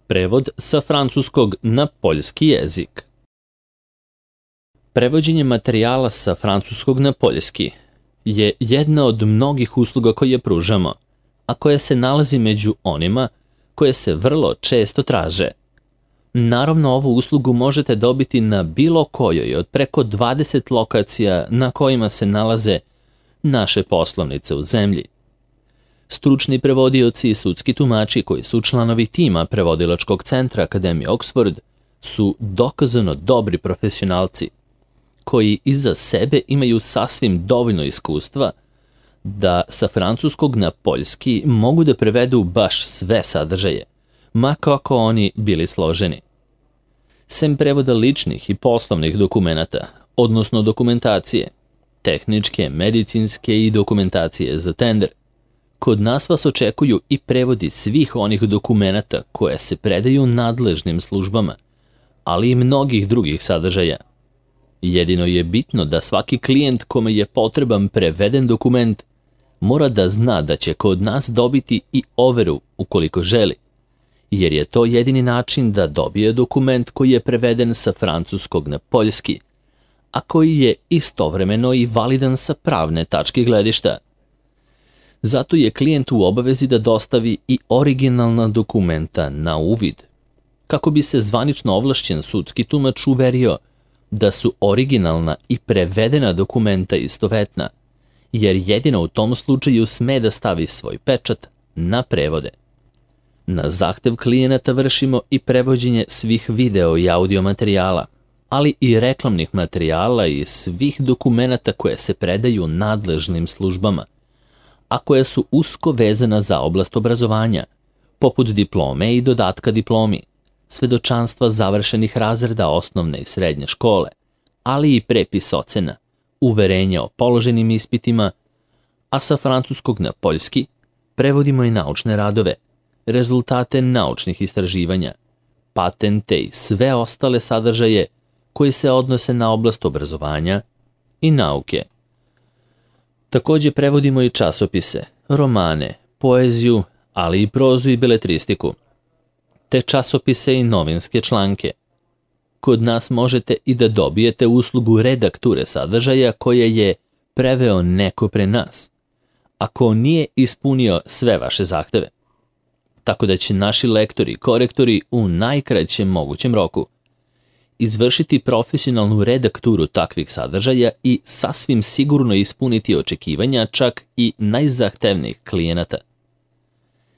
Prevod sa francuskog na poljski jezik. Prevođenje materijala sa francuskog na poljski je jedna od mnogih usluga koje pružamo, a koja se nalazi među onima koje se vrlo često traže. Naravno, ovu uslugu možete dobiti na bilo kojoj od preko 20 lokacija na kojima se nalaze naše poslovnice u zemlji. Stručni prevodioci i sudski tumači koji su članovi tima Prevodilačkog centra Akademije Oxford su dokazano dobri profesionalci koji iza sebe imaju sasvim dovoljno iskustva da sa francuskog na poljski mogu da prevedu baš sve sadržaje, ma kako oni bili složeni. Sem prevoda ličnih i poslovnih dokumenata, odnosno dokumentacije, tehničke, medicinske i dokumentacije za tender, kod nas vas očekuju i prevodi svih onih dokumenata koje se predaju nadležnim službama, ali i mnogih drugih sadržaja. Jedino je bitno da svaki klijent kome je potreban preveden dokument mora da zna da će kod nas dobiti i overu ukoliko želi, jer je to jedini način da dobije dokument koji je preveden sa francuskog na poljski, a koji je istovremeno i validan sa pravne tačke gledišta. Zato je klijent u obavezi da dostavi i originalna dokumenta na uvid, kako bi se zvanično ovlašćen sudski tumač uverio da su originalna i prevedena dokumenta istovetna, jer jedino u tom slučaju sme da stavi svoj pečat na prevode. Na zahtev klijenata vršimo i prevođenje svih video i audio materijala, ali i reklamnih materijala i svih dokumenata koje se predaju nadležnim službama, a koje su usko vezana za oblast obrazovanja, poput diplome i dodatka diplomi, svedočanstva završenih razreda osnovne i srednje škole, ali i prepis ocena, uverenja o položenim ispitima, a sa francuskog na poljski prevodimo i naučne radove, rezultate naučnih istraživanja, patente i sve ostale sadržaje koji se odnose na oblast obrazovanja i nauke. Takođe prevodimo i časopise, romane, poeziju, ali i prozu i beletristiku, te časopise i novinske članke. Kod nas možete i da dobijete uslugu redakture sadržaja koje je preveo neko pre nas, ako nije ispunio sve vaše zahteve. Tako da će naši lektori i korektori u najkraćem mogućem roku izvršiti profesionalnu redakturu takvih sadržaja i sasvim sigurno ispuniti očekivanja čak i najzahtevnijih klijenata.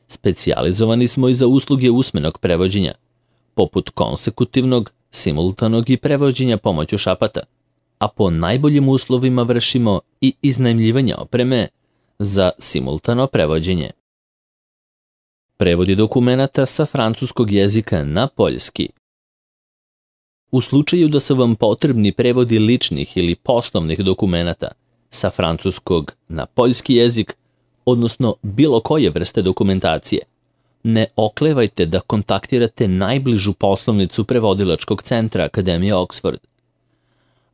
Specijalizovani smo i za usluge usmenog prevođenja, poput konsekutivnog, simultanog i prevođenja pomoću šapata, a po najboljim uslovima vršimo i iznajmljivanje opreme za simultano prevođenje. Prevodi dokumenata sa francuskog jezika na poljski. U slučaju da su vam potrebni prevodi ličnih ili poslovnih dokumenata sa francuskog na poljski jezik, odnosno bilo koje vrste dokumentacije, ne oklevajte da kontaktirate najbližu poslovnicu Prevodilačkog centra Akademije Oxford.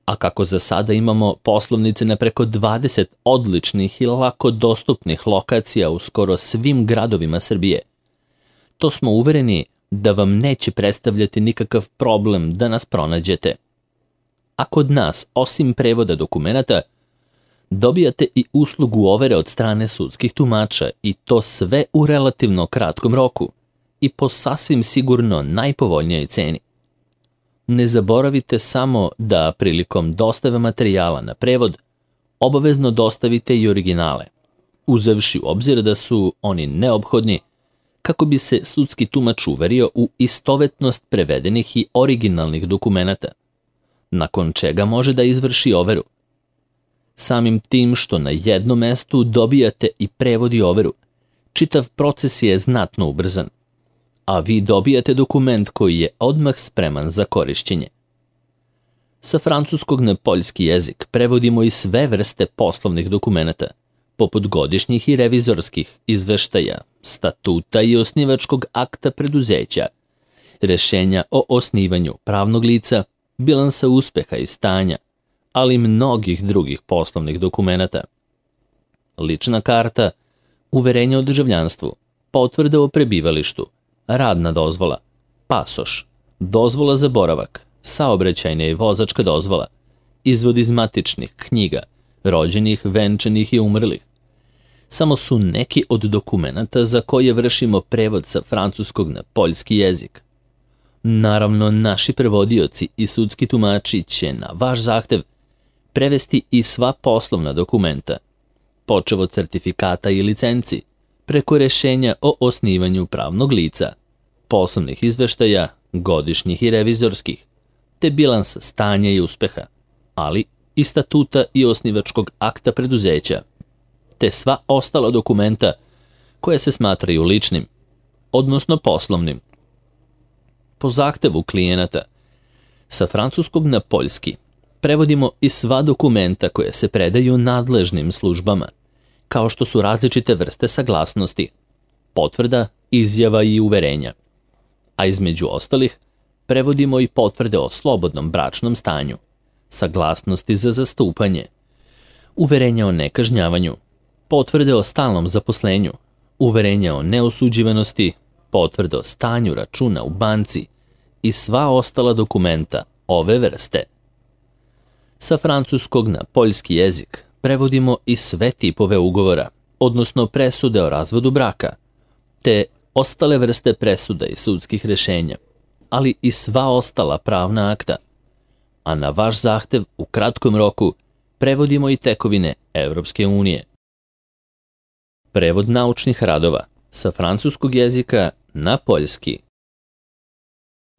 A kako za sada imamo poslovnice na preko 20 odličnih i lako dostupnih lokacija u skoro svim gradovima Srbije, to smo uvereni da vam neće predstavljati nikakav problem da nas pronađete. A kod nas, osim prevoda dokumenata, dobijate i uslugu overe od strane sudskih tumača i to sve u relativno kratkom roku i po sasvim sigurno najpovoljnijoj ceni. Ne zaboravite samo da prilikom dostave materijala na prevod obavezno dostavite i originale, uzevši u obzir da su oni neophodni kako bi se sudski tumač uverio u istovetnost prevedenih i originalnih dokumenata, nakon čega može da izvrši overu. Samim tim što na jednom mestu dobijate i prevod i overu, čitav proces je znatno ubrzan, a vi dobijate dokument koji je odmah spreman za korišćenje. Sa francuskog na poljski jezik prevodimo i sve vrste poslovnih dokumenata, poput godišnjih i revizorskih izveštaja, statuta i osnivačkog akta preduzeća, rešenja o osnivanju pravnog lica, bilansa uspeha i stanja, ali i mnogih drugih poslovnih dokumenata. Lična karta, uverenje o državljanstvu, potvrda o prebivalištu, radna dozvola, pasoš, dozvola za boravak, saobraćajna i vozačka dozvola, izvod iz matičnih knjiga, rođenih, venčanih i umrlih. Samo su neki od dokumenata za koje vršimo prevod sa francuskog na poljski jezik. Naravno, naši prevodioci i sudski tumači će na vaš zahtev prevesti i sva poslovna dokumenta, počev od certifikata i licenci, preko rešenja o osnivanju pravnog lica, poslovnih izveštaja, godišnjih i revizorskih, te bilansa stanja i uspeha, ali i statuta i osnivačkog akta preduzeća, te sva ostala dokumenta koje se smatraju ličnim, odnosno poslovnim. Po zahtevu klijenata, sa francuskog na poljski prevodimo i sva dokumenta koje se predaju nadležnim službama, kao što su različite vrste saglasnosti, potvrda, izjava i uverenja. A između ostalih, prevodimo i potvrde o slobodnom bračnom stanju, saglasnosti za zastupanje, uverenja o nekažnjavanju, potvrde o stalnom zaposlenju, uverenja o neosuđivanosti, potvrde o stanju računa u banci i sva ostala dokumenta ove vrste. Sa francuskog na poljski jezik prevodimo i sve tipove ugovora, odnosno presude o razvodu braka, te ostale vrste presuda i sudskih rešenja, ali i sva ostala pravna akta. A na vaš zahtev u kratkom roku prevodimo i tekovine Evropske unije. Prevod naučnih radova sa francuskog jezika na poljski.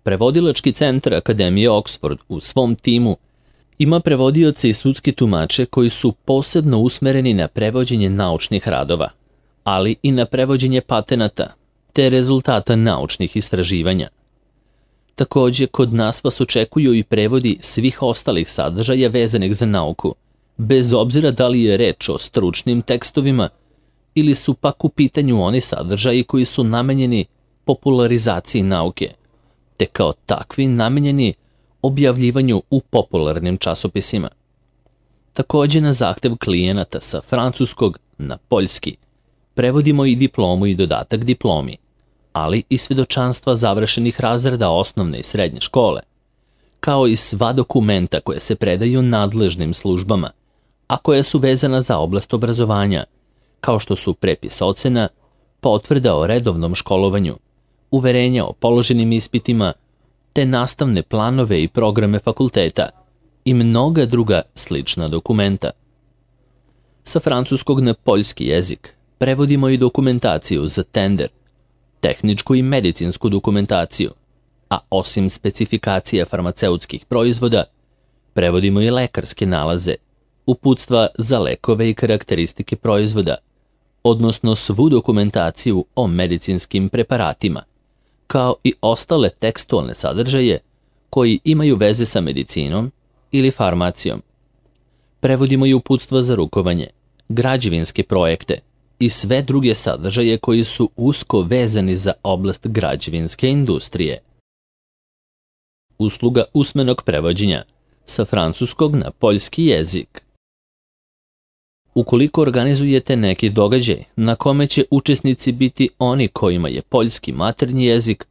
Prevodilački centar Akademije Oxford u svom timu ima prevodioce i sudski tumače koji su posebno usmereni na prevođenje naučnih radova, ali i na prevođenje patenata te rezultata naučnih istraživanja. Takođe, kod nas vas očekuju i prevodi svih ostalih sadržaja vezanih za nauku, bez obzira da li je reč o stručnim tekstovima ili su pak u pitanju oni sadržaji koji su namenjeni popularizaciji nauke, te kao takvi namenjeni objavljivanju u popularnim časopisima. Takođe, na zahtev klijenata sa francuskog na poljski prevodimo i diplomu i dodatak diplomi, ali i svedočanstva završenih razreda osnovne i srednje škole, kao i sva dokumenta koje se predaju nadležnim službama, a koja su vezana za oblast obrazovanja, kao što su prepis ocena, potvrda o redovnom školovanju, uverenja o položenim ispitima, te nastavne planove i programe fakulteta i mnoga druga slična dokumenta. Sa francuskog na poljski jezik prevodimo i dokumentaciju za tender, tehničku i medicinsku dokumentaciju, a osim specifikacija farmaceutskih proizvoda, prevodimo i lekarske nalaze, uputstva za lekove i karakteristike proizvoda, odnosno svu dokumentaciju o medicinskim preparatima, kao i ostale tekstualne sadržaje koji imaju veze sa medicinom ili farmacijom. Prevodimo i uputstva za rukovanje, građevinske projekte i sve druge sadržaje koji su usko vezani za oblast građevinske industrije. Usluga usmenog prevođenja sa francuskog na poljski jezik. Ukoliko organizujete neki događaj na kome će učesnici biti oni kojima je poljski maternji jezik,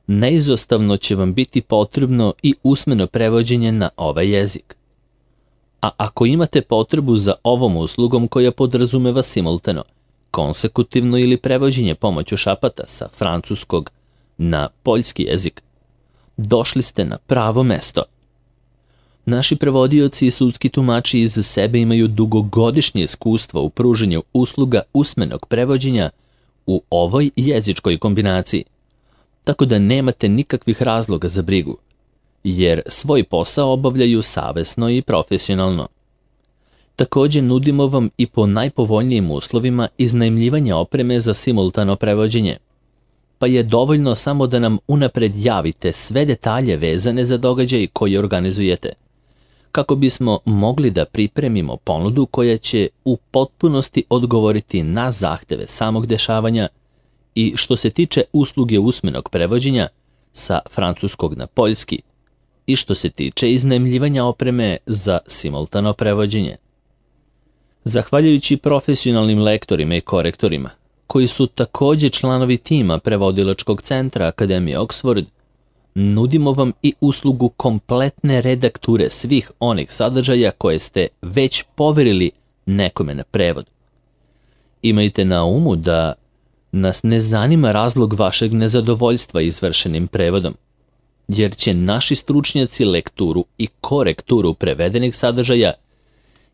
neizostavno će vam biti potrebno i usmeno prevođenje na ovaj jezik. A ako imate potrebu za ovom uslugom koja podrazumeva simultano, konsekutivno ili prevođenje pomoću šapata sa francuskog na poljski jezik, došli ste na pravo mesto. Naši prevodioci i sudski tumači iza sebe imaju dugogodišnje iskustvo u pruženju usluga usmenog prevođenja u ovoj jezičkoj kombinaciji, tako da nemate nikakvih razloga za brigu, jer svoj posao obavljaju savesno i profesionalno. Takođe, nudimo vam i po najpovoljnijim uslovima iznajmljivanja opreme za simultano prevođenje, pa je dovoljno samo da nam unapred javite sve detalje vezane za događaj koji organizujete, kako bismo mogli da pripremimo ponudu koja će u potpunosti odgovoriti na zahteve samog dešavanja i što se tiče usluge usmenog prevođenja sa francuskog na poljski i što se tiče iznajmljivanja opreme za simultano prevođenje. Zahvaljujući profesionalnim lektorima i korektorima, koji su takođe članovi tima prevodilačkog centra Akademije Oxford, nudimo vam i uslugu kompletne redakture svih onih sadržaja koje ste već poverili nekome na prevod. Imajte na umu da nas ne zanima razlog vašeg nezadovoljstva izvršenim prevodom, jer će naši stručnjaci lekturu i korekturu prevedenih sadržaja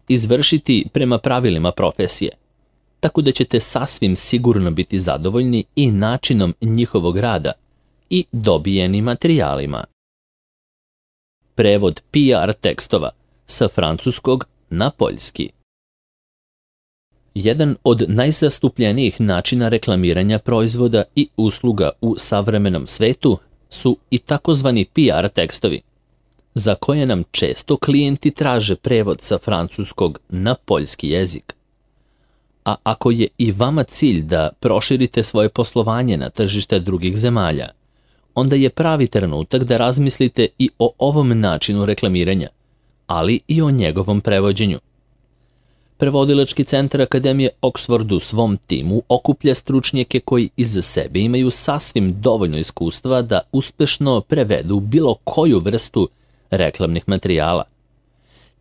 izvršiti prema pravilima profesije, tako da ćete sasvim sigurno biti zadovoljni i načinom njihovog rada i dobijenim materijalima. Prevod PR tekstova sa francuskog na poljski. Jedan od najzastupljenijih načina reklamiranja proizvoda i usluga u savremenom svetu su i takozvani PR tekstovi, za koje nam često klijenti traže prevod sa francuskog na poljski jezik. A ako je i vama cilj da proširite svoje poslovanje na tržište drugih zemalja, onda je pravi trenutak da razmislite i o ovom načinu reklamiranja, ali i o njegovom prevođenju. Prevodilački centar Akademije Oxford u svom timu okuplja stručnjake koji iza sebe imaju sasvim dovoljno iskustva da uspešno prevedu bilo koju vrstu reklamnih materijala,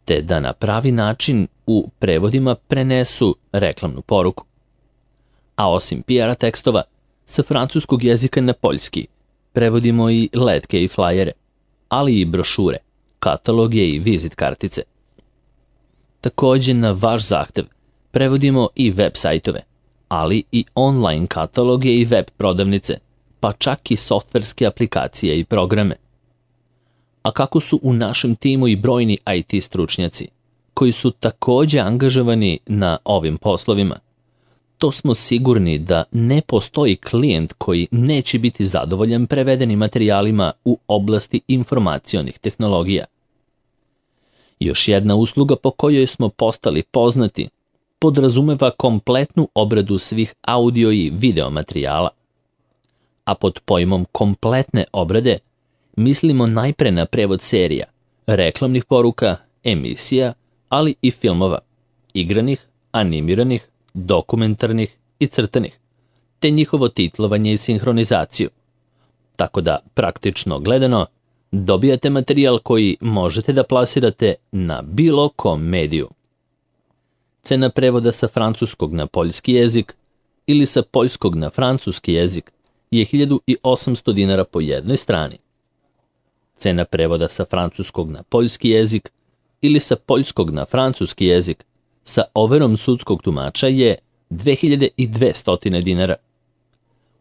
te da na pravi način u prevodima prenesu reklamnu poruku. A osim PR tekstova, sa francuskog jezika na poljski prevodimo i letke i flajere, ali i brošure, kataloge i vizit kartice. Također na vaš zahtev prevodimo i web sajtove, ali i online kataloge i web prodavnice, pa čak i softverske aplikacije i programe. A kako su u našem timu i brojni IT stručnjaci, koji su također angažovani na ovim poslovima, to smo sigurni da ne postoji klijent koji neće biti zadovoljan prevedenim materijalima u oblasti informacionih tehnologija. Još jedna usluga po kojoj smo postali poznati podrazumeva kompletnu obradu svih audio i video materijala. A pod pojmom kompletne obrade mislimo najpre na prevod serija, reklamnih poruka, emisija, ali i filmova, igranih, animiranih, dokumentarnih i crtanih, te njihovo titlovanje i sinhronizaciju. Tako da, praktično gledano, dobijate materijal koji možete da plasirate na bilo kom mediju. Cena prevoda sa francuskog na poljski jezik ili sa poljskog na francuski jezik je 1800 dinara po jednoj strani. Cena prevoda sa francuskog na poljski jezik ili sa poljskog na francuski jezik sa overom sudskog tumača je 2200 dinara.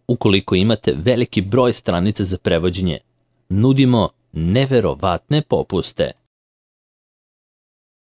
Ukoliko imate veliki broj stranica za prevođenje, nudimo neverovatne popuste.